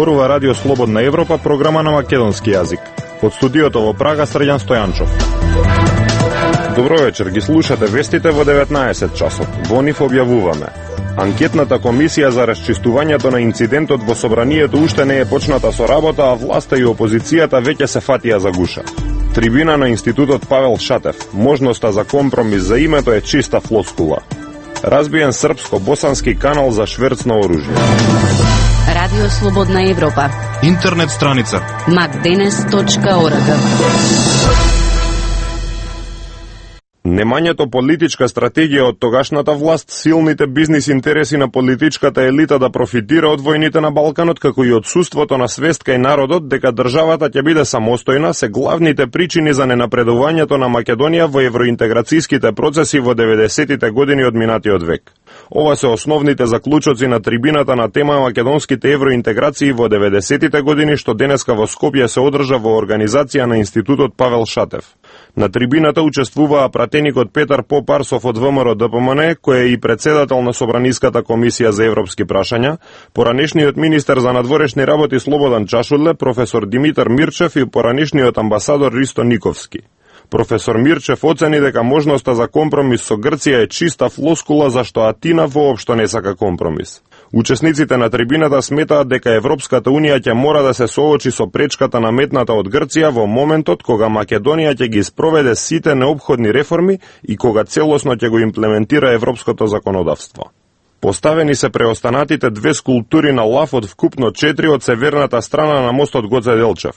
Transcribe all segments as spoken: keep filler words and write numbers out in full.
Зборува Радио Слободна Европа, програма на македонски јазик. Од студиото во Прага, Срđan Стојанчов. Добро вечер, ги слушате вестите во деветнаесет часот. Во нив објавуваме: анкетната комисија за расчистувањето на инцидентот во собранието уште не е почната со работа, а власта и опозицијата веќе се фатија за гуша. Трибина на Институтот Павел Шатев: можноста за компромис за името е чиста флоскула. Разбиен српско-босански канал за шверц на оружје. Радио Слободна Европа. Интернет страница макденес точка орг. Немањето политичка стратегија од тогашната власт, силните бизнис интереси на политичката елита да профитира од војните на Балканот, како и отсуството на свест кај народот дека државата ќе биде самостојна, се главните причини за ненапредувањето на Македонија во евроинтеграцијските процеси во деветдесетите години од минатиот век. Ова се основните заклучоци на трибината на тема македонските евроинтеграции во деветдесетите години, што денеска во Скопје се одржа во организација на Институтот Павел Шатев. На трибината учествуваа пратеникот Петар Попарсов од ВМРО Д П М Н, кој е и председател на Собраниската комисија за европски прашања, поранешниот министер за надворешни работи Слободан Чашудле, професор Димитар Мирчев и поранешниот амбасадор Ристо Никовски. Професор Мирчев оцени дека можноста за компромис со Грција е чиста флоскула, зашто Атина воопшто не сака компромис. Учесниците на трибината сметаат дека Европската Унија ќе мора да се соочи со пречката наметната од Грција во моментот кога Македонија ќе ги спроведе сите неопходни реформи и кога целосно ќе го имплементира европското законодавство. Поставени се преостанатите две скулптури на лав од вкупно четири од северната страна на мостот Гоце Делчев.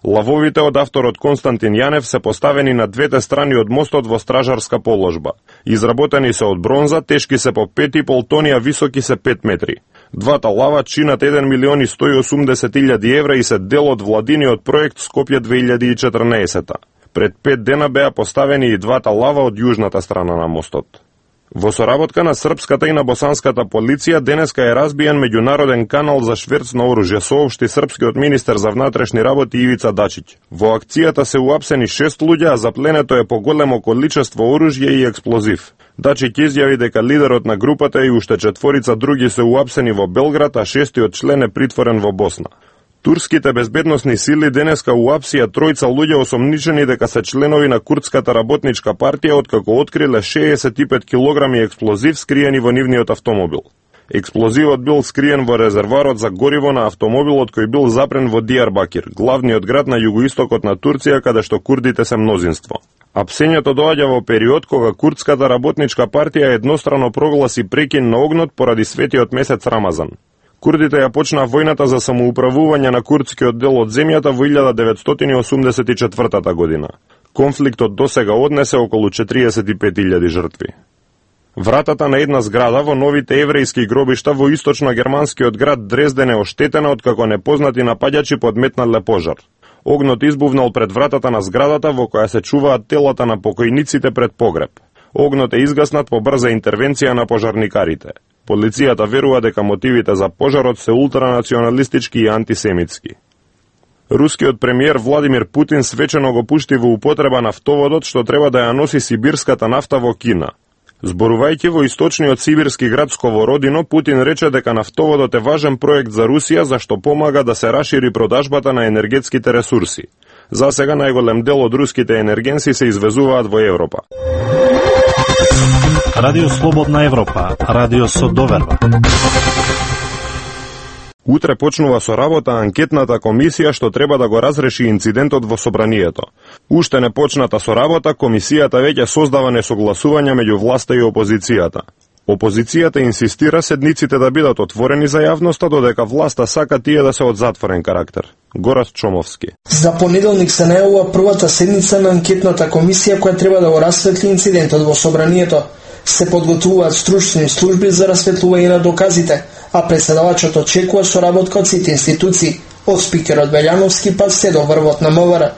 Лавовите од авторот Константин Јанев се поставени на двете страни од мостот во стражарска положба. Изработени се од бронза, тешки се по пет и пол тони, а високи се пет метри. Двата лава чинат еден милион и сто и осумдесет илјади евра и се дел од владиниот проект Скопје две илјади и четрнаесета. Пред пет дена беа поставени и двата лава од јужната страна на мостот. Во соработка на српската и на босанската полиција денеска е разбиен меѓународен канал за шверц на оружје, соопшти српскиот министер за внатрешни работи Ивица Дачиќ. Во акцијата се уапсени шест луѓе, а запленето е поголемо количество оружје и експлозив. Дачиќ изјави дека лидерот на групата и уште четворица други се уапсени во Белград, а шестиот член е притворен во Босна. Турските безбедносни сили денеска уапсија тројца луѓе осомничени дека се членови на Курдската работничка партија, откако откриле шеесет и пет килограми експлозив скриени во нивниот автомобил. Експлозивот бил скриен во резерварот за гориво на автомобилот кој бил запрен во Дијарбакир, главниот град на југоистокот на Турција, каде што курдите се мнозинство. Апсењето доаѓа во период кога Курдската работничка партија еднострано прогласи прекин на огнот поради светиот месец Рамазан. Курдите ја почнаа војната за самоуправување на курдскиот дел од земјата во илјада деветстотини осумдесет и четвртата година. Конфликтот досега однесе околу четириесет и пет илјади жртви. Вратата на една зграда во новите еврејски гробишта во источно-германскиот град Дрезден е оштетена откако непознати напаѓачи подметнале пожар. Огнот избувнал пред вратата на зградата во која се чуваат телата на покојниците пред погреб. Огнот е изгаснат по брза интервенција на пожарникарите. Полицијата верува дека мотивите за пожарот се ултранационалистички и антисемитски. Рускиот премиер Владимир Путин свечено го пушти во употреба нафтоводот што треба да ја носи сибирската нафта во Кина. Зборувајќи во источниот сибирски град Сковородино, Путин рече дека нафтоводот е важен проект за Русија зашто помага да се расшири продажбата на енергетските ресурси. За сега најголем дел од руските енергенси се извезуваат во Европа. Радио Слободна Европа, радио со доверба. Утре почнува со работа анкетната комисија што треба да го разреши инцидентот во собранието. Уште не почната со работа, комисијата веќе создава несогласувања меѓу власта и опозицијата. Опозицијата инсистира седниците да бидат отворени за јавноста, додека власта сака тие да се од затворен карактер. Горас Чомовски. За понеделник се најавува првата седница на анкетната комисија која треба да го расветли инцидентот во собранието. Се подготвуваат стручни служби за расветлување на доказите, а преседавачот очекува соработка од сите институции, од спикерот Белјановски па се до врвот на МВР.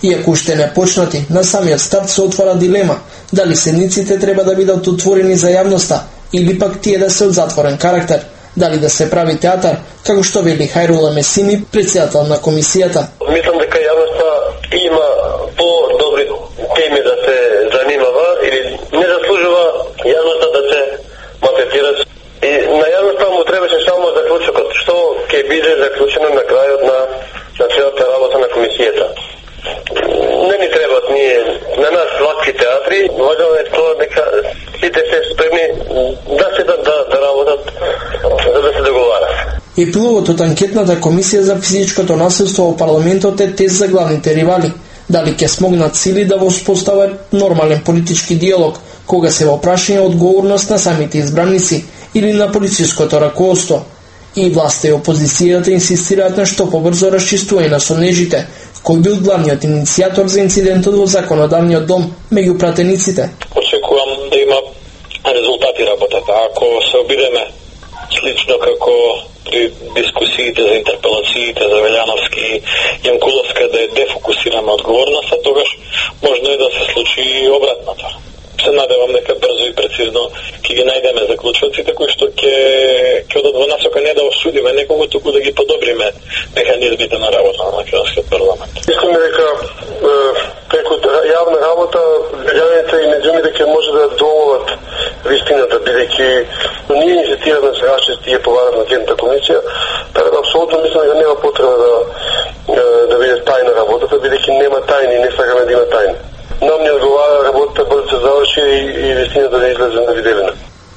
Иако уште не почнати, на самиот старт се отвара дилема дали седниците треба да бидат отворени за јавноста или пак тие да се од затворен карактер, дали да се прави театар, како што вели Хајрула Месими, председател на комисијата. Мислам дека јавноста има по-добри теми да се занимава или не заслужува јавноста да се малтретира. И на јавноста му требаше само заклучокот, што ќе биде заклучено на крај важно е тоа дека сите се спремни да се да, да, да работат за да се договарат. Епилогот од анкетната комисија за физичкото насилство во парламентот е тест за главните ривали. Дали ќе смогнат сили да воспостават нормален политички диалог, кога се во прашање одговорност на самите избраници или на полициското раководство. И власта и опозицијата инсистираат на што побрзо расчистување на сонежите, кој бил главниот иницијатор за инцидентот во законодавниот дом меѓу пратениците. Очекувам да има резултати работата. Ако се обидеме слично како при дискусиите за интерпелациите за Велјановски и Јанкуловска да е дефокусирана одговорноста, тогаш можно е да се случи и обратното. Се надевам дека брзо и прецизно ќе ги најдеме заклучоците кои што ќе ќе одат во насока не да осудиме некого, туку да ги подобриме механизмите на работа на македонскиот парламент. Искаме дека преку јавна работа граѓаните и медиумите ќе може да доолат вистината, бидејќи ние инсистираме да се расчисти и поварат на анкетната комисија, така да апсолутно мислам дека нема потреба да да биде тајна работата, бидејќи нема тајни, не сакаме да има тајни. Нам не одговара работата бързо се заврши и, и вистината да излезе на виделина.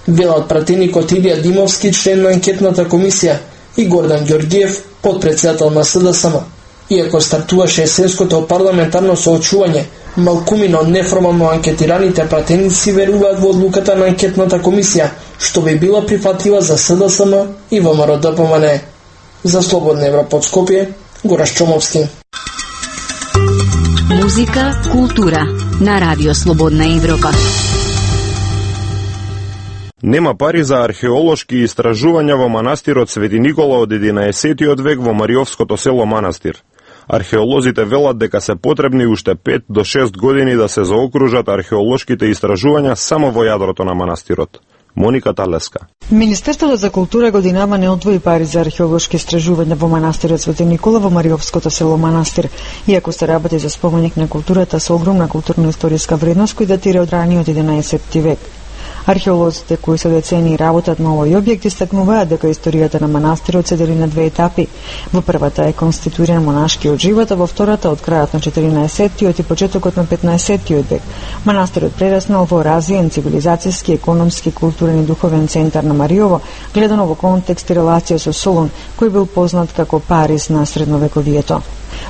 Велат пратеникот Илија Димовски, член на анкетната комисија, и Гордан Ѓорѓиев, подпредседател на С Д С М. Иако стартуваше есенското парламентарно соочување, малкумино неформално анкетираните пратеници веруваат во одлуката на анкетната комисија, што би била прифатлива за С Д С М и Во М Р Д П М Н. За Слободна Европа од Скопје, Гораш Чомовски. Музика, култура на Радио Слободна Европа. Нема пари за археолошки истражувања во манастирот Свети Никола од единаесеттиот век во Мариовското село Манастир. Археолозите велат дека се потребни уште пет до шест години да се заокружат археолошките истражувања само во јадрото на манастирот. Моника Талеска. Министерството за култура годинава не одвои пари за археолошки истражувања во манастирот Свети Никола во Мариовското село Манастир, иако се работи за споменик на културата со огромна културно-историска вредност кој датира од раниот единаесетти век. Археолозите кои со децении работат на овој објект истакнуваат дека историјата на манастирот се дели на две етапи. Во првата е конституиран монашкиот живот, а во втората од крајот на четиринаесеттиот и почетокот на петнаесеттиот век. Манастирот прераснал во развиен цивилизацијски, економски, културен и духовен центар на Мариово, гледано во контекст и релација со Солун, кој бил познат како Париз на средновековието.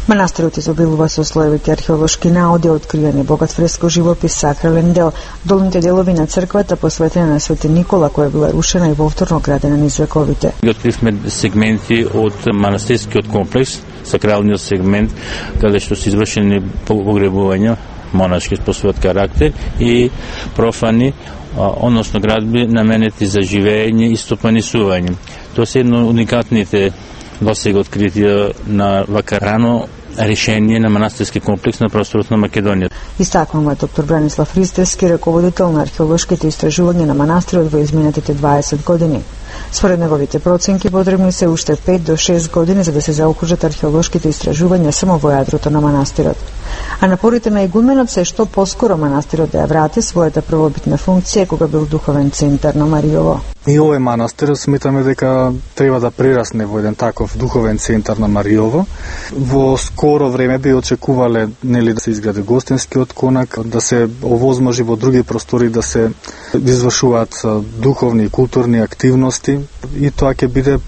Манастирот изобилува со слоевите археолошки наоди, откриени богат фреско живопис, сакрален дел, долните делови на црквата посветена на Свети Никола, која била рушена и повторно градена низ вековите. Откривме сегменти од манастирскиот комплекс, сакралниот сегмент, каде што се извршени погребувања монашки по својот карактер и профани, односно градби наменети за живење и стопанисување. Тоа се едно уникатните досега откритија на вака рано решение на манастирски комплекс на просторот на Македонија. Истакнува доктор Бранислав Ристевски, раководител на археолошките истражувања на манастирот во изминатите дваесет години. Според неговите проценки потребни се уште пет до шест години за да се заокружат археолошките истражувања само во јадрото на манастирот. А напорите на игуменот се што поскоро манастирот да ја врати својата првобитна функција кога бил духовен центар на Мариово. И овој манастир сметаме дека треба да прерасне во еден таков духовен центар на Мариово. Во скоро време би очекувале нели да се изгради гостинскиот конак, да се овозможи во други простори да се извршуваат духовни и културни активности и тоа ќе биде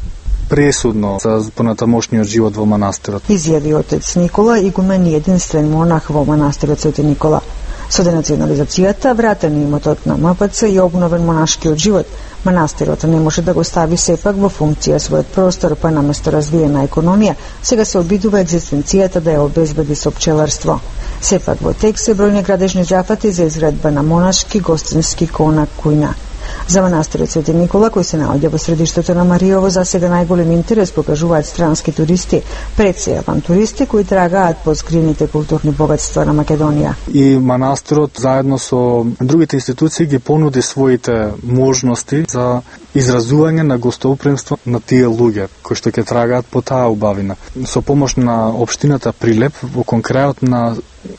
пресудно за понатамошниот живот во манастирот. Изјави отец Никола, игумен и единствен монах во манастирот Свети Никола. Со денационализацијата, вратен имотот на М П Ц и обновен монашкиот живот, манастирот не може да го стави сепак во функција својот простор, па наместо развиена економија, сега се обидува екзистенцијата да ја обезбеди со пчеларство. Сепак во тек се бројни градежни зафати за изградба на монашки, гостински конак, кујна. За манастирот Свети Никола, кој се наоѓа во средиштето на Мариово, за сега најголем интерес покажуваат странски туристи, пред се авантуристи кои трагаат по скриените културни богатства на Македонија. И манастирот заедно со другите институции ги понуди своите можности за изразување на гостопримство на тие луѓе кои што ќе трагаат по таа убавина. Со помош на општината Прилеп, во конкретот на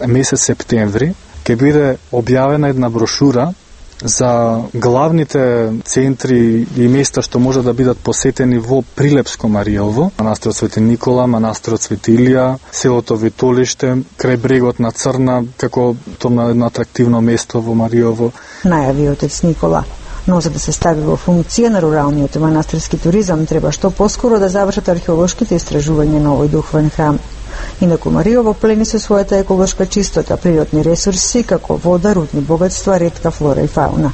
месец септември, ќе биде објавена една брошура за главните центри и места што може да бидат посетени во Прилепско Маријово, манастирот Свети Никола, манастирот Свети Илија, селото Витолиште, крај брегот на Црна, како тоа едно атрактивно место во Маријово. Најави отец Никола. Но за да се стави во функција на руралниот манастирски туризам, треба што поскоро да завршат археолошките истражувања на овој духовен храм. Инаку Маријово плени со својата еколошка чистота, природни ресурси, како вода, рудни богатства, ретка флора и фауна.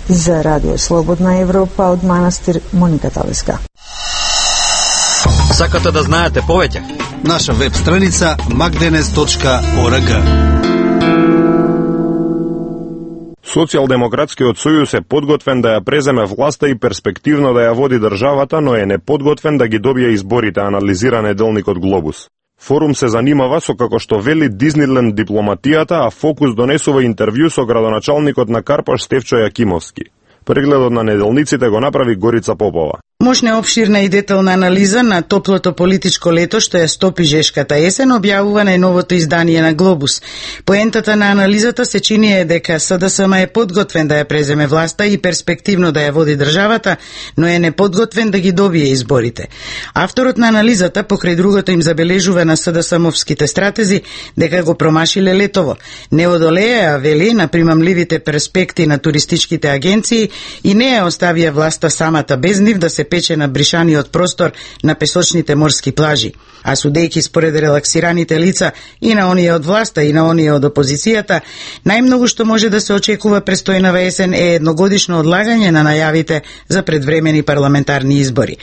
За Радио Слободна Европа од манастир Моника Талеска. Сакате да знаете повеќе? Наша веб страница magdenes точка org. Социјалдемократскиот сојуз е подготвен да ја преземе власта и перспективно да ја води државата, но е неподготвен да ги добие изборите, анализира неделникот Глобус. Форум се занимава со, како што вели, Диснейленд дипломатијата, а Фокус донесува интервју со градоначалникот на Карпаш Стефчо Јакимовски. Прегледот на неделниците го направи Горица Попова. Мощна, обширна и детална анализа на топлото политичко лето што ја стопи жешката есен објавува најновото издание на Глобус. Поентата на анализата се чини е дека СДСМ е подготвен да ја преземе власта и перспективно да ја води државата, но е неподготвен да ги добие изборите. Авторот на анализата покрај другото им забележува на СДСМовските стратези дека го промашиле летово. Не одолеа, вели, на примамливите перспекти на туристичките агенции и не ја оставија власта самата без нив да се пече на бришаниот простор на песочните морски плажи. А судејќи според релаксираните лица и на оние од власта и на оние од опозицијата, најмногу што може да се очекува престојнава есен е едногодишно одлагање на најавите за предвремени парламентарни избори.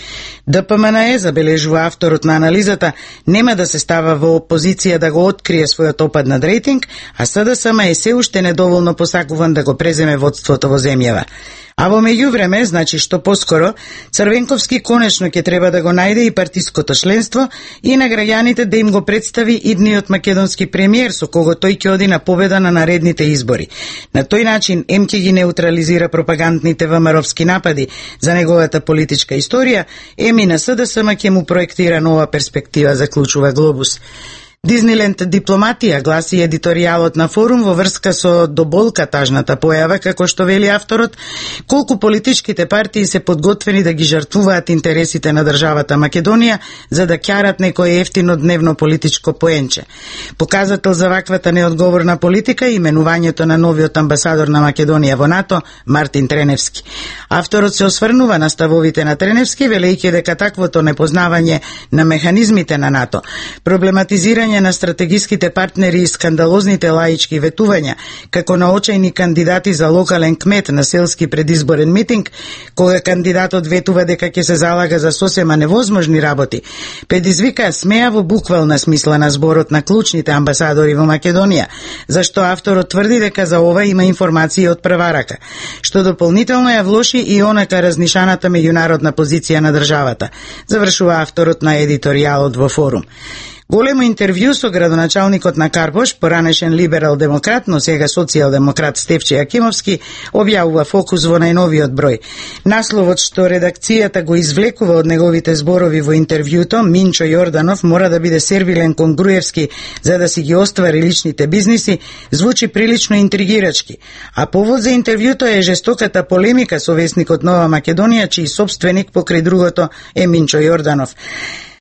ДПМНЕ, забележува авторот на анализата, нема да се става во опозиција да го открие својот опад над рейтинг, а СДСМ е се уште недоволно посакуван да го преземе водството во земјава. А во меѓувреме, значи што поскоро, Црвенковски конечно ќе треба да го најде и партиското членство и на граѓаните да им го представи идниот македонски премиер со кого тој ќе оди на победа на наредните избори. На тој начин ем ќе ги неутрализира пропагандните ВМРО-вски напади за неговата политичка историја, ем и на СДСМ ќе му проектира нова перспектива, заклучува Глобус. Диснейленд дипломатија, гласи едиторијалот на Форум во врска со доболка тажната појава, како што вели авторот, колку политичките партии се подготвени да ги жртвуваат интересите на државата Македонија за да ќарат некој ефтино дневно политичко поенче. Показател за ваквата неодговорна политика е именувањето на новиот амбасадор на Македонија во НАТО, Мартин Треневски. Авторот се осврнува на ставовите на Треневски, велејќи дека таквото непознавање на механизмите на НАТО, проблематизирање на стратегиските партнери и скандалозните лаички ветувања, како на очајни кандидати за локален кмет на селски предизборен митинг, кога кандидатот ветува дека ќе се залага за сосема невозможни работи, предизвика смејаво буквална смисла на зборот на клучните амбасадори во Македонија, зашто авторот тврди дека за ова има информации од прва рака, што дополнително ја влоши и онака разнишаната меѓународна позиција на државата, завршува авторот на едиторијалот во Форум. Големо интервју со градоначалникот на Карпош, поранешен либерал-демократ, но сега социјал-демократ Стефче Јакимовски, објавува Фокус во најновиот број. Насловот што редакцијата го извлекува од неговите зборови во интервјуто, Минчо Јорданов мора да биде сервилен кон Груевски за да си ги оствари личните бизниси, звучи прилично интригирачки. А повод за интервјуто е жестоката полемика со весникот Нова Македонија, чиј собственик покрај другото е Минчо Јорданов.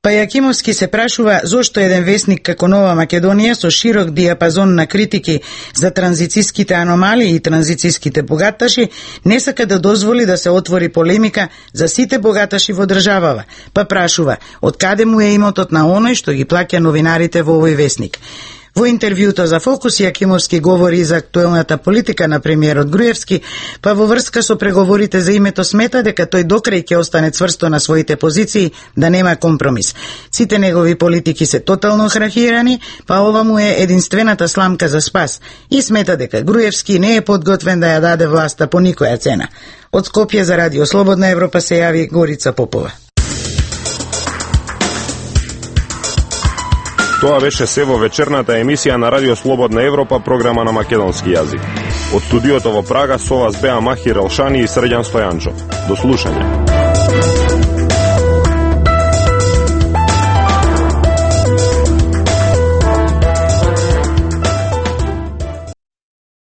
Па Јакимовски се прашува зошто еден весник како Нова Македонија со широк диапазон на критики за транзициските аномалии и транзициските богаташи не сака да дозволи да се отвори полемика за сите богаташи во државава. Па прашува од каде му е имотот на оној што ги плаќа новинарите во овој весник. Во интервјуто за Фокус Јакимовски говори за актуелната политика на премиерот Груевски, па во врска со преговорите за името смета дека тој докрај ќе остане цврсто на своите позиции, да нема компромис. Сите негови политики се тотално храхирани, па ова му е единствената сламка за спас и смета дека Груевски не е подготвен да ја даде власта по никоја цена. Од Скопје за Радио Слободна Европа се јави Горица Попова. Тоа беше се во вечерната емисија на Радио Слободна Европа, програма на македонски јазик. Од студиото во Прага со вас беа Махир Елшани и Срđan Стојанчо. До слушање.